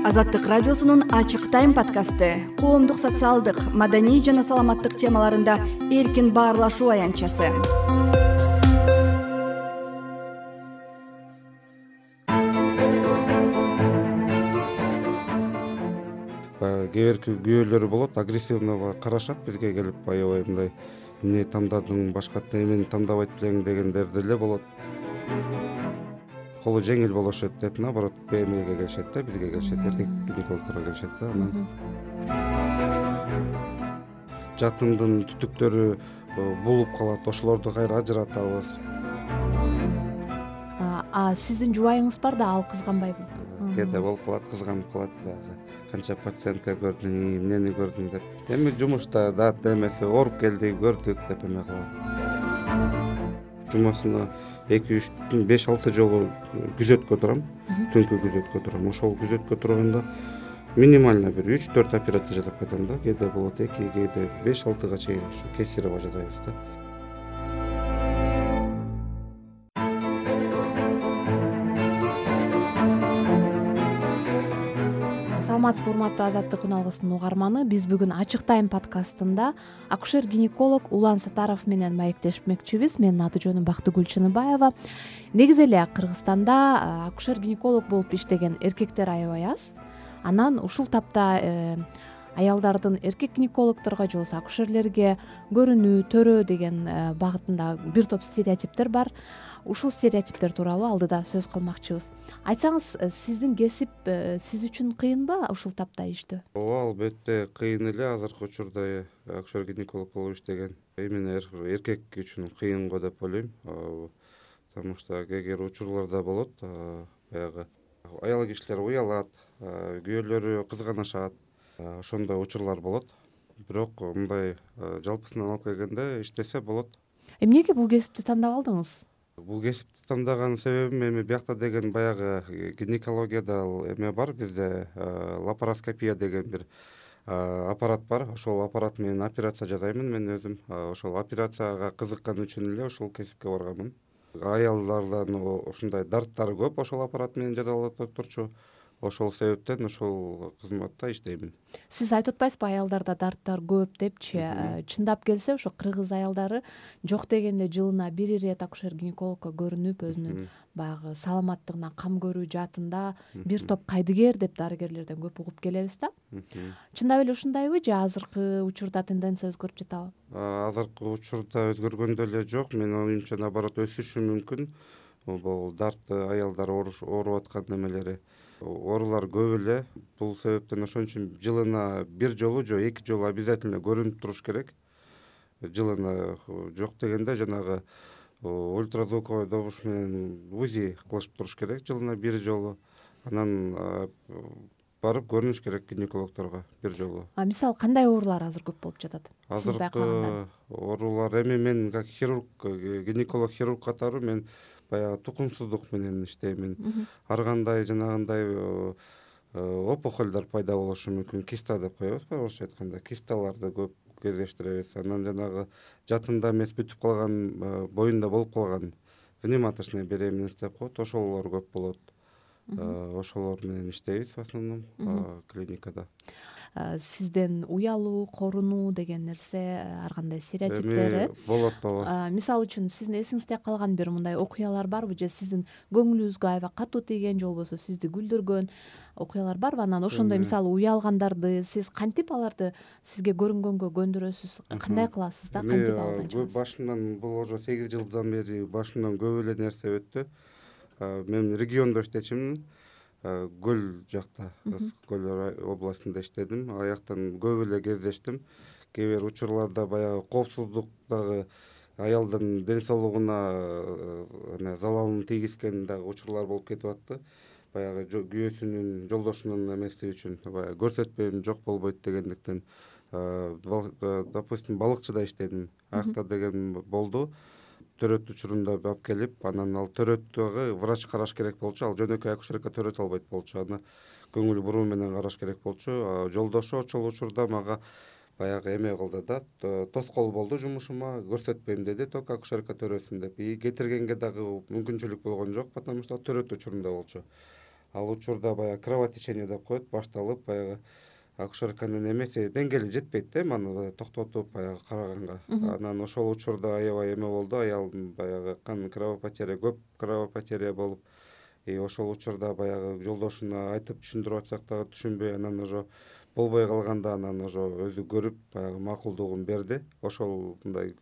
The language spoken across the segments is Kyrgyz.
Азаттык радиосунун Ачык тайм подкасты коомдук, социалдык, маданий жана саламаттык темаларында эркин баарлашуу аянтчасы. Кээ бир күйөөлөр болот, агрессивный карашат бизге келип, аябай мындай эмне тандадың, башкача эмени тандабайт белең дегендер деле болот. Колу жеңил болушат деп, наоборот, БМГге келишет да, бизге келишет, эркек гинекологторго келишет да. Анан жатындын түтүктөрү булуп калат, ошолорду кайра ажыратабыз. Сиздин жубайыңыз бар да, ал кызганбайбы? Кээде болуп калат, кызганып калат баягы. Канча пациентка көрдүң, эмнени көрдүң деп. Эми жумушта дат эмеси ооруп келди, көрдүк деп эме кылат. Жумасына 2-3 5-6 жолу күзөткө турам, түнкү күзөткө турам. Ошол күзөткө турганда минимально бир 3-4 операция жасап кетем да. Кээде болот 2, кээде 5-6га чейин ушу кесарево жасайбыз да. Саламатсызбы, урматтуу Азаттык үналгысынын угарманы. Биз бүгүн Ачык тайм подкастында акушер-гинеколог Улан Сатаров менен маектешмекчибиз. Менин аты жөнүм Бактыгүл Чыныбаева. Негизи эле Кыргызстанда акушер-гинеколог болуп иштеген эркектер аябай аз. Анан ушул тапта аялдардын эркек гинекологторго же болбосо акушерлерге көрүнүү, төрөө деген багытында бир топ стереотиптер бар. Ушул стереотиптер тууралуу алдыда сөз кылмакчыбыз. Айтсаңыз, сиздин кесип сиз үчүн кыйынбы ушул тапта иштөө? Ооба, албетте кыйын эле. Азыркы учурда акушер-гинеколог болуп иштеген именно эркек үчүн кыйын го деп ойлойм. Потому что кээ бир учурларда болот, баягы аял кишилер уялат, күйөөлөрү кызганышат, ошондой учурлар болот. Бирок мындай жалпысынан алып келгенде иштесе болот. Эмнеге бул кесипти тандап алдыңыз? Бул кесипти тандаган себебим эми биякта деген баягы гинекологияда эме бар, бизде лапароскопия деген бир аппарат бар. Ошол аппарат менен операция жасаймын мен өзүм. Ошол операцияга кызыккан үчүн эле ошол кесипке барганмын. Аялдардан ушундай дарттары көп ошол аппарат менен жасалат турчу. Ошол себептен ошол кызматта иштеймин. Сиз айтып атпайсызбы, аялдарда дарттар көп депчи? Чындап келсе, ошо кыргыз аялдары жок дегенде жылына бир ирет акушер-гинекологко көрүнүп, өзүнүн баягы саламаттыгына кам көрүү жаатында бир топ кайдыгер деп дарыгерлерден көп угуп келебиз да. Чындап эле ушундайбы же азыркы учурда тенденция өзгөрүп жатабы? Азыркы учурда өзгөргөн деле жок. Менин оюмча, наоборот, өсүшү мүмкүн. Бул дартты аялдар ооруп аткан немелери, оорулар көп эле. Бул себептен ошон үчүн жылына бир жолу же 2 жолу обязательно көрүнүп туруш керек. Жылына жок дегенде жанагы ультразвуковой добуш менен УЗИ кылышып туруш керек жылына бир жолу. Анан барып көрүнүш керек гинекологторго бир жолу. Мисалы, кандай оорулар азыр көп болуп жатат? Азыркы оорулар, эми мен как хирург, гинеколог хирург катары мен баягы тукумсуздук менен иштеймин. Ар кандай жанагындай опухолдор пайда болушу мүмкүн. Киста деп коебуз, орусча айтканда. Кисталарды көп кездештиребиз. Анан жанагы жатында эмес, бүтүп калган, боюнда болуп калган внематочная беременность деп коет, ошолор көп болот. Ошолор менен иштейбиз в основном клиникада. Сизден уялуу, корунуу деген нерсе, ар кандай стереотиптери болот. Мисалы үчүн сиздин эсиңизде калган бир мындай окуялар барбы, же сиздин көңүлүңүзгө аябай катуу тийген, же болбосо сизди күлдүргөн окуялар барбы? Анан ошондой мисалы уялгандарды сиз кантип аларды сизге көрүнгөнгө көндүрөсүз? Кандай кыласыз да, кантип абалдан чыгасыз? Башымдан бул уже 8 жылдан бери башымдан көп эле нерсе өттү. Мен региондо иштечимин. Көл жакта, Көл областында иштедим. Аяктан көп эле кездештим. Кээ бир учурларда баягы коопсуздук дагы аялдын ден соолугуна залалын тийгизген дагы учурлар болуп кетип атты. Баягы күйөөсүнүн, жолдошунун эмеси үчүн баягы көрсөтпөйм, жок болбойт дегендиктен, допустим, балыкчыда иштедим. Аякта деген болду. Төрөт учурунда алып келип, анан ал төрөттөгү врач караш керек болчу. Ал жөнөкөй акушерка төрөт албайт болчу. Аны көңүл буруу менен караш керек болчу. Жолдошу ошол учурда мага баягы эме кылды да, тоскоол болду жумушума, көрсөтпөйм деди, только акушерка төрөсүн деп. Кетиргенге дагы мүмкүнчүлүк болгон жок, потому что төрөт учурунда болчу. ал учурда баягы кровотечение деп коет, башталып баягы акушерканын эмеси деңгээли жетпейт да, аны токтотуп баягы караганга. Анан ошол учурда аябай эме болду, аялдын баягы кан кровопотеря, көп кровопотеря болуп, ошол учурда баягы жолдошуна айтып түшүндүрүп атсак дагы түшүнбөй, анан уже болбой калганда анан уже өзү көрүп баягы макулдугун берди. Ошол мындай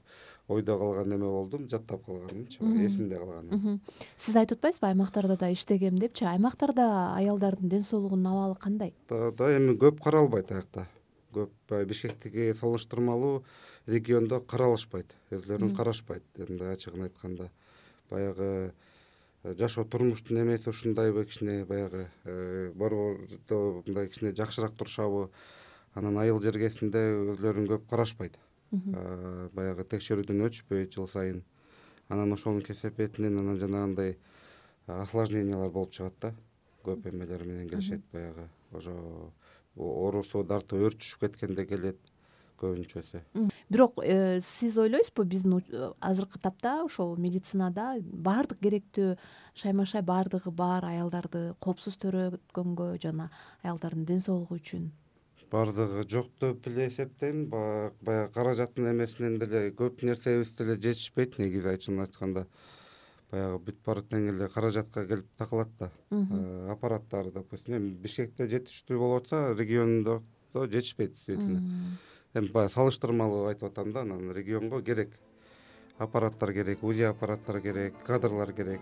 ойдо калган эме болдум, жаттап калганымчы, эсимде калган. Сиз айтып атпайсызбы аймактарда да иштегем депчи? Аймактарда аялдардын ден соолугунун абалы кандай? Да эми көп каралбайт аякта. Көп Бишкектиги салыштырмалуу региондо каралышпайт, өзлөрүн карашпайт. Мындай ачыгын айтканда баягы жашоо турмуштун эмеси ушундайбы, кичине баягы борбордо мындай кичине жакшыраак турушабы, анан айыл жергесинде өзлөрүн көп карашпайт. Баягы текшерүүдөн өтүшпөйт жыл сайын. Анан ошонун кесепетинен анан жанагындай осложнениялар болуп чыгат да. Көп эмелер менен келишет, баягы ошо оорусу дартып өрчүшүп кеткенде келет көбүнчөсү. Бирок сиз ойлойсузбу, биздин азыркы тапта ошол медицинада баардык керектүү шайма-шай баардыгы бар аялдарды коопсуз төрөткөнгө жана аялдардын ден соолугу үчүн? Баардыгы жок деп эле эсептейм. Баягы каражаттын эмесинен деле көп нерсебиз деле жетишпейт, негизи айтканда. Баягы бүт баары тең эле каражатка келип такылат да. Аппараттар, допустим, эми Бишкекте жетиштүү болуп атса, региондо жетишпейт действительно. Эми баягы салыштырмалуу айтып атам да, анан регионго керек аппараттар керек, УЗИ аппараттар керек, кадрлар керек.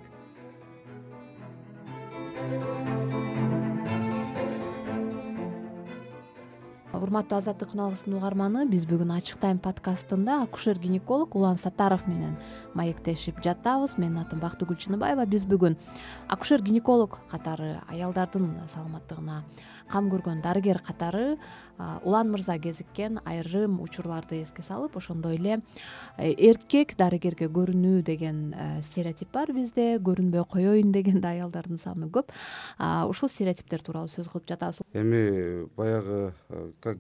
Урматтуу Азаттык күналгысынын угарманы, биз бүгүн Ачык тайм подкастында акушер-гинеколог Улан Саттаров менен маектешип жатабыз. Менин атым Бактыгүл Чыныбаева. Биз бүгүн акушер-гинеколог катары, аялдардын саламаттыгына кам көргөн дарыгер катары Улан мырза кезиккен айрым учурларды эске салып, ошондой эле эркек дарыгерге көрүнүү деген стереотип бар бизде, көрүнбөй коеюн деген да аялдардын саны көп. Ушул стереотиптер тууралуу сөз кылып жатабыз. Эми баягы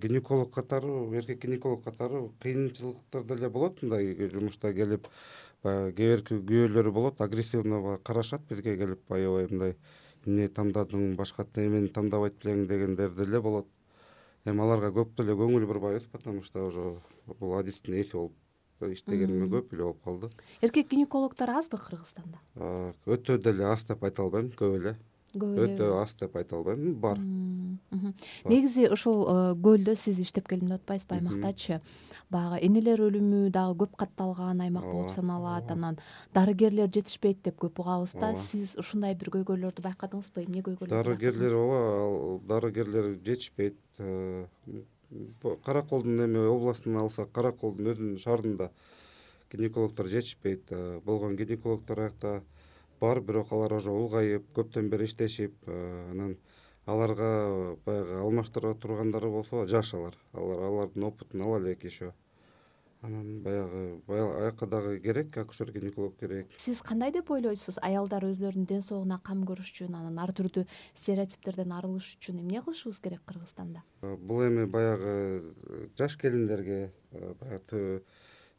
гинеколог катары, эркек гинеколог катары кыйынчылыктар деле болот, мындай жумушта келип, баягы кээ бирки күйөөлөрү болот, агрессивно карашат бизге келип, аябай мындай эмне тандадың, башка эмени тандабайт белең дегендер деле болот. Эми аларга көп деле көңүл бурбайбыз, потому что уже бул адистин эси болуп иштегениме көп эле болуп калды. Эркек гинекологдор азбы Кыргызстанда? Өтө деле аз деп айта албайм, көп эле. Өтө аз деп айта албайм, бар. Негизи ушул көлдө сиз иштеп келдим деп атпайсызбы, аймактачы? Баягы энелер өлүмү дагы көп катталган аймак болуп саналат, анан дарыгерлер жетишпейт деп көп угабыз да. Сиз ушундай бир көйгөйлөрдү байкадыңызбы? Эмне көйгөйлөр? Дарыгерлер жетишпейт. Караколдун эми областын алсак, Караколдун өзүнүн шаарында гинекологдор жетишпейт. Болгон гинекологдор аякта бар, бирок алар уже улгайып, көптөн бери иштешип, анан аларга баягы алмаштыра тургандары болсо жаш алардын опытын ала элек еще. Анан баягы аякка дагы керек, акушер-гинеколог керек. Сиз кандай деп ойлойсуз? Аялдар өзлөрүнүн ден соолугуна кам көрүш үчүн, анан ар түрдүү стереотиптерден арылыш үчүн эмне кылышыбыз керек Кыргызстанда? Бул эми баягы жаш келиндерге, баягы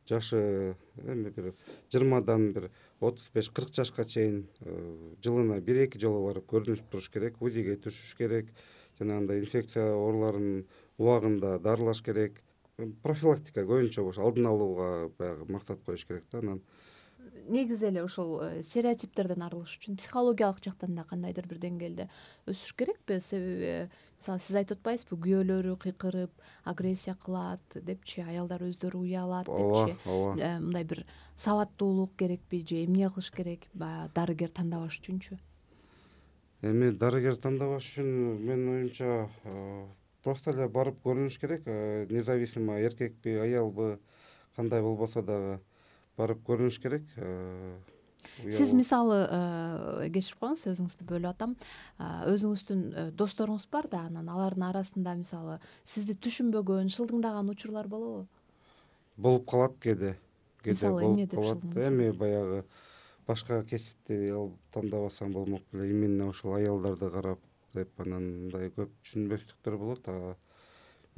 жашы эми бир 20дан бир 35-40 жашка чейин жылына 1-2 жолу барып көрүнүп туруш керек, УЗИге түшүш керек, жанагындай инфекция ооруларын убагында дарылаш керек. Профилактика көбүнчө алдын алууга баягы максат коюш керек да. Анан негизи эле ушул стереотиптерден арылыш үчүн психологиялык жактан да кандайдыр бир деңгээлде өсүш керекпи? Себеби мисалы сиз айтып атпайсызбы, күйөөлөрү кыйкырып, агрессия кылат депчи, аялдар өздөрү уялат депчи. Мындай бир сабаттуулук керекпи же эмне кылыш керек баягы дарыгер тандабаш үчүнчү? Эми дарыгер тандабаш үчүн менин оюмча просто эле барып көрүнүш керек, независимо эркекпи, аялбы, кандай болбосо дагы барып көрүнүш керек. Сиз мисалы кечирип коюңуз, сөзүңүздү бөлүп атам. Өзүңүздүн досторуңуз бар да, анан алардын арасында мисалы сизди түшүнбөгөн, шылдыңдаган учурлар болобу? Болуп калат кээде. Мисалы эмне деп шылдыңдайт? Эми баягы башка кесипти тандабасам болмок беле, именно ошол аялдарды карап деп, анан мындай көп түшүнбөстүктөр болот.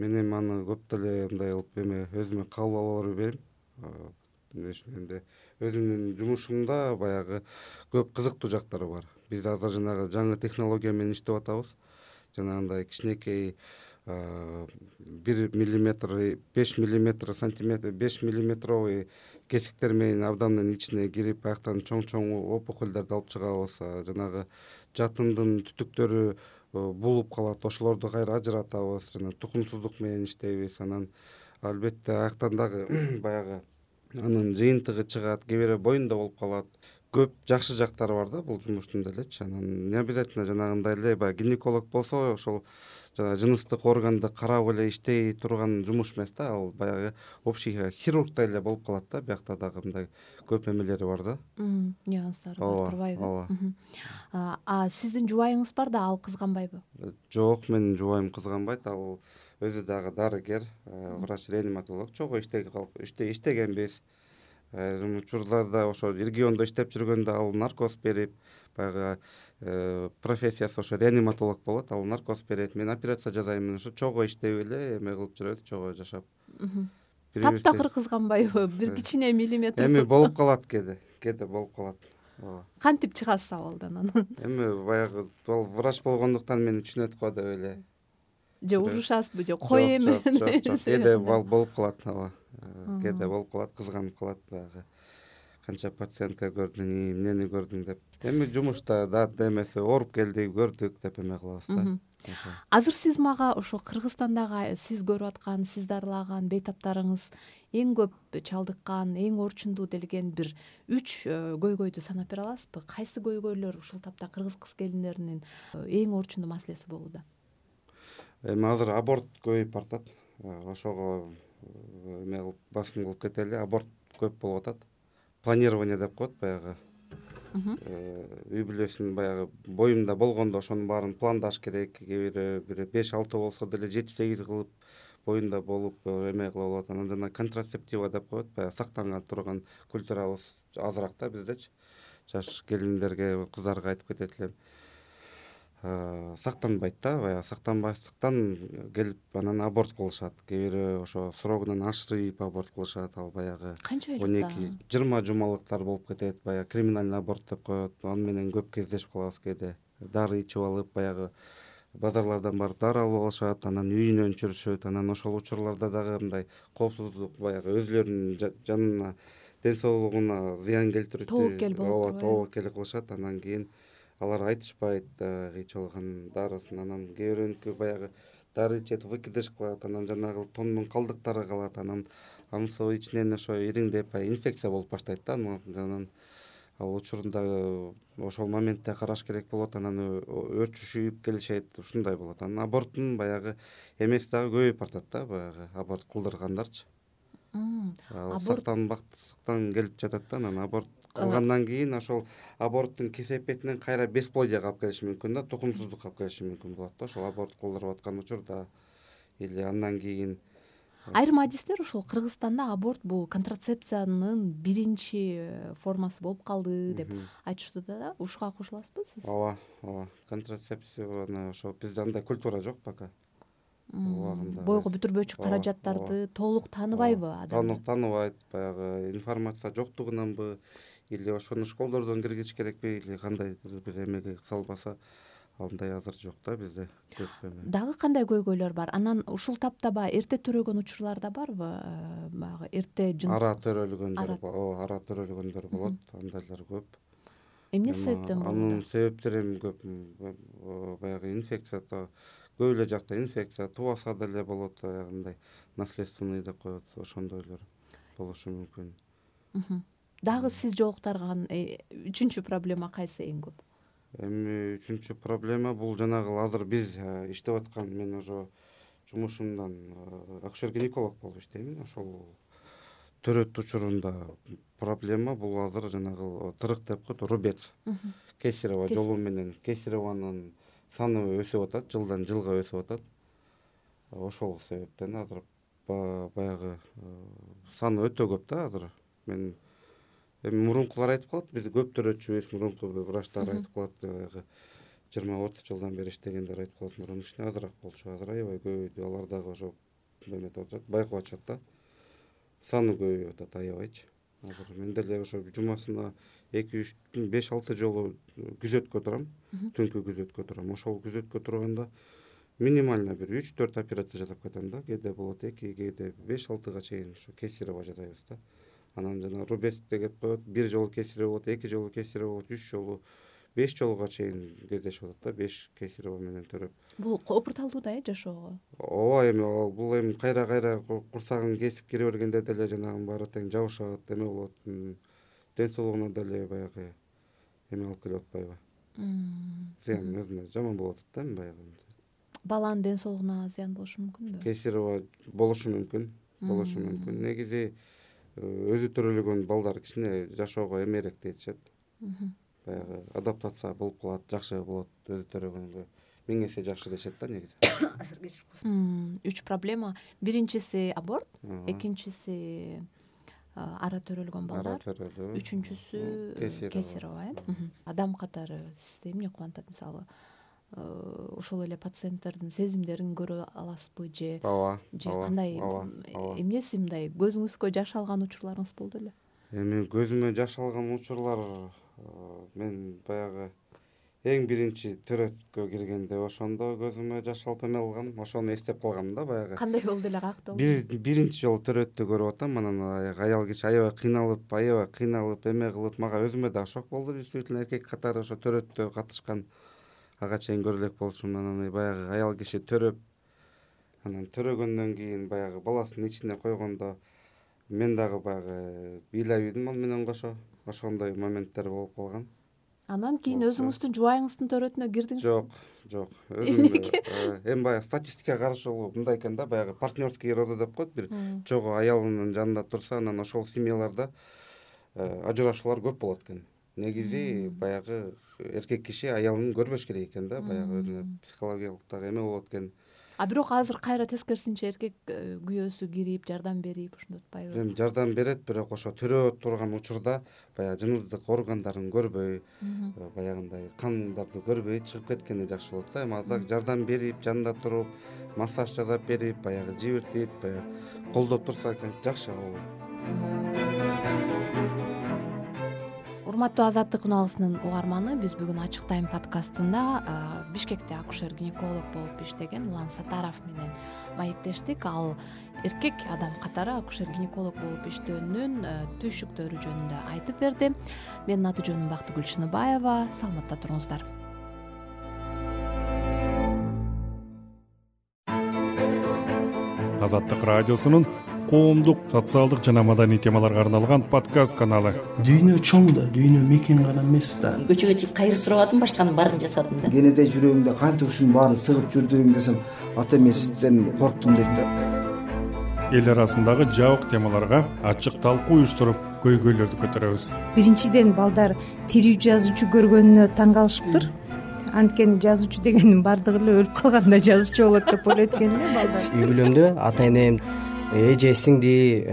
Мен эми аны көп деле мындай кылып өзүмө кабыл ала бербейм. Эми өзүмдүн жумушумда баягы көп кызыктуу жактары бар. Биз азыр жанагы жаңы технология менен иштеп атабыз. Жанагындай кичинекей 1 миллиметр, 5 миллиметр, сантиметр, 5 миллиметровый кесиктер менен абдандын ичине кирип, аяктан чоң опухольдорду алып чыгабыз. Жанагы жатындын түтүктөрү булуп калат, ошолорду кайра ажыратабыз. Жана тукумсуздук менен иштейбиз. Анан албетте аяктан дагы баягы анын жыйынтыгы чыгат, кээ бирөө боюнда болуп калат. Көп жакшы жактары бар да бул жумуштун делечи. Анан не обязательно жанагындай эле баягы гинеколог болсо ошол жана жыныстык органды карап эле иштей турган жумуш эмес да, ал баягы общий хирургдай эле болуп калат да. Биякта дагы мындай көп эмелери бар да. Нюанстары бар турбайбы? Ооба. Сиздин жубайыңыз бар да, ал кызганбайбы? Жок, менин жубайым кызганбайт. Ал өзү дагы дарыгер, врач-реаниматолог. Чогуу иштегенбиз. Учурларда ошо региондо иштеп жүргөндө ал наркоз берип, баягы профессиясы ошо реаниматолог болот, ал наркоз берет, мен операция жасайм. Ошо чогуу иштеп эле эме кылып жүрөбүз, чогуу жашап. Таптакыр кызганбайбы? Бир кичине миллиметр. Эми болуп калат кээде болуп калат. Ооба. Кантип чыгасыз абалдан анан? Эми баягы ал врач болгондуктан мени түшүнөт го деп эле. Же урушасызбы, же кой эме? Жок, кээде болуп калат, ооба. Кээде болуп калат, кызганып калат баягы. Канча пациентка көрдүң, эмнени көрдүң деп. Эми жумушта да эмеси ооруп келдик, көрдүк деп эме кылабыз да. Азыр сиз мага ошо Кыргызстандагы сиз көрүп аткан, сиз дарылаган бейтаптарыңыз эң көп чалдыккан, эң орчундуу делген бир 3 көйгөйдү санап бере аласызбы? Кайсы көйгөйлөр ушул тапта кыргыз кыз-келиндеринин эң орчундуу маселеси болууда? Эми азыр аборт көбөйүп бартат. Ошого эме кылып басым кылып кетели. Аборт көп болуп атат. Планирование деп коет баягы. Үй бүлөсүн баягы боюмда болгондо ошонун баарын пландаш керек. Кээ бирөө 5-6 болсо деле 7-8 кылып боюнда болуп эме кыла болот. Анан жана контрацептива деп коет, баягы сактанган турган культурабыз азыраак да биздечи. Жаш келиндерге, кыздарга айтып кетет элем. Сактанбайт да, баягы сактанбастыктан келип анан аборт кылышат. Кээ бирөө ошо срогунан ашырып аборт кылышат. Ал баягы Канча 12-20 жумалыктар болуп кетет. Баягы криминальный аборт деп коет. Аны менен көп кездешип калабыз кээде. Дары ичип алып, баягы базарлардан барып дары алып алышат, анан үйүнөн чүрүшөт. Анан ошол учурларда дагы мындай коопсуздук, баягы өзүлөрүнүн жанына, ден соолугуна зыян келтирүүчү тобокел кылышат. Анан кийин алар айтышпайт ичип алган дарысын. Анан кээ бирөөнүкү баягы дары ичет, выкидыш кылат, анан жанагы тоннун калдыктары калат. Анан анысы ичинен ошо ириңдеп инфекция болуп баштайт да. Анан ал учурунда ошол моментте караш керек болот. Анан өрчүшүп келишет, ушундай болот. Анан аборттун баягы эмеси дагы көбөйүп бартат да, баягы аборт кылдыргандарчы. Сактанбастыктан келип жатат да. Анан аборт кылгандан кийин ошол аборттун кесепетинен кайра бесплодияга алып келиши мүмкүн да, тукумсуздукка алып келиши мүмкүн болот да. Ошол аборт кылдырып аткан учурда или андан кийин айрым адистер ушул Кыргызстанда аборт бул контрацепциянын биринчи формасы болуп калды деп айтышууда да. Ушуга кошуласызбы сиз? Ооба. Контрацепцияны ошо бизде андай культура жок пока. Бойго бүтүрбөчү каражаттарды толук тааныбайбы адамдар? Тааныбайт, баягы информация жоктугунанбы, или ошону школдордон киргизиш керекпи, или кандайдыр бир эмеге салбаса, андай азыр жок да бизде көп эме. Дагы кандай көйгөйлөр бар? Анан ушул тапта баягы эрте төрөгөн учурлар да барбы? Баягы эрте ара төрөлгөндөр болот, андайлар көп. Эмне себептен болот? Анын себептери эми көп. Баягы инфекция көп эле жакта инфекция, тубаса деле болот, мындай наследственный деп коет, ошондойлор болушу мүмкүн. Дагы сиз жолуктарган 3-чү проблема кайсы эң көп? Эми 3-чү проблема бул жанагы азыр биз иштеп аткан, мен ошо жумушумдан акушер-гинеколог болуп иштейм. Ошол төрөт учурунда проблема бул азыр жанагы тырык деп коет, рубец. Кесарево жолу менен кесареванын саны өсүп атат, жылдан жылга өсүп атат. Ошол себептен азыр баягы саны өтө көп да азыр. Мен эми мурункулар айтып калат, биз көп төрөтчүбүз, мурунку врачтар айтып калат, баягы 20-30 жылдан бери иштегендер айтып калат, мурун кичине азыраак болчу, азыр аябай көбөйдү. Алар дагы ошо эметип атышат, байкап атышат да. Саны көбөйүп атат аябайчы. азыр мен деле ошо жумасына 2-3 5-6 жолу күзөткө турам, түнкү күзөткө турам. Ошол күзөткө турганда минимально бир 3-4 операция жасап кетем да. Кээде болот 2, кээде 5-6га чейин ошо кесарево жасайбыз да. Анан жана рубец деп коет, бир жолу кесарево болот, 2 жолу кесарево болот, 3 жолу, 5 жолуга чейин кездешип атат да, 5 кесарево менен төрөп. Бул опурталдуу да жашоого. Ооба, эми бул эми кайра курсагын кесип кире бергенде деле жанагы баары тең жабышат, эме болот. Ден соолугуна деле баягы эме алып келип атпайбы? Зыян өзүнө жаман болуп атат да эми баягы. Баланын ден соолугуна зыян болушу мүмкүнбү? Кесарево болушу мүмкүн. Негизи өзү төрөлгөн балдар кичине жашоого эмерээк детишет. Баягы адаптация болуп калат, жакшы болот өзү төрөгөнгө. 1000 эсе жакшы дешет да негизи. 3 проблема. Биринчиси аборт, экинчиси ара төрөлгөн балдар, үчүнчүсү кесарево. Адам катары сизди эмне кубантат, мисалы ошол эле пациенттердин сезимдерин көрө аласызбы же кандай эмнеси мындай көзүңүзгө жаш алган учурларыңыз болду эле? Эми көзүмө жаш алган учурлар мен баягы эң биринчи төрөткө киргенде ошондо көзүмө жаш алып эме алгам, ошону эстеп калгам да баягы. Кандай болду эле, каякта болду? Биринчи жолу төрөттү көрүп атам, анан аял киши аябай кыйналып эме кылып, мага өзүмө да шок болду. Действительно эркек катары ошо төрөттө катышкан ага чейин көрө элек болчумун. Анан баягы аял киши төрөп, анан төрөгөндөн кийин баягы баласын ичине койгондо мен дагы баягы бийлебейдим ал менен кошо. Ошондой моменттер болуп калган. Анан кийин өзүңүздүн жубайыңыздын төрөтүнө кирдиңизби? Жок. Эми баягы статистикага каршы мындай экен да, баягы партнерский роды деп коет, бир чогуу аялынын жанында турса, анан ошол семьяларда ажырашуулар көп болот экен. Негизи баягы эркек киши аялын көрбөш керек экен да, баягы өзүнө психологиялык дагы эме болот экен. Бирок азыр кайра тескерисинче эркек күйөөсү кирип, жардам берип, ошондой атпайбы? Эми жардам берет, бирок ошо төрөп турган учурда баягы жыныстык органдарын көрбөй, баягындай кандарды көрбөй чыгып кеткени жакшы болот да. Эми азыр жардам берип, жанында туруп, массаж жасап берип, баягы жибиртип, колдоп турса экен жакшы болот. Урматтуу Азаттык уналгысынын угарманы, биз бүгүн Ачык Тайм подкастында Бишкекте акушер-гинеколог болуп иштеген Улан Сатаров менен маектештик. Ал эркек адам катары акушер-гинеколог болуп иштөөнүн түйшүктөрү жөнүндө айтып берди. Менин аты жөнүм Бактыгүл Чыныбаева. Саламатта туруңуздар. Азаттык радиосунун коомдук, социалдык жана маданий темаларга арналган подкаст каналы. Дүйнө чоң да, дүйнө мекен гана эмес да. Көчөгө чыгып кайыр сурабадым, башканын баарын жасадым да. Кенеде жүрөгүңдө канча ушунун баарын сыгып жүрдүң десем, ата эмесизден корктум дейт да. Эл арасындагы жабык темаларга ачык талкуу уюштуруп, көйгөйлөрдү көтөрөбүз. Биринчиден балдар тирүү жазуучу көргөнүнө таң калышыптыр. Анткени жазуучу дегендин баардыгы эле өлүп калганда жазуучу болот деп ойлойт экен эле балдар. Үй бүлөмдө ата энем, эже, сиңди,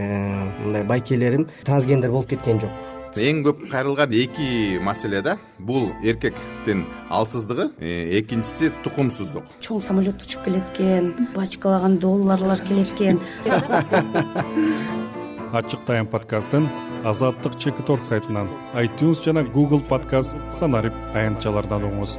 мындай байкелерим трансгендер болуп кеткен жок. Эң көп кайрылган эки маселе да. Бул эркектин алсыздыгы, экинчиси тукумсуздук. Чоң самолет учуп келет экен, бачкалаган долларлар келет экен. Ачык Тайм подкастын Азаттык Чекиторг сайтынан, iTunes жана Google Podcast санарип аянтчалардан угуңуз.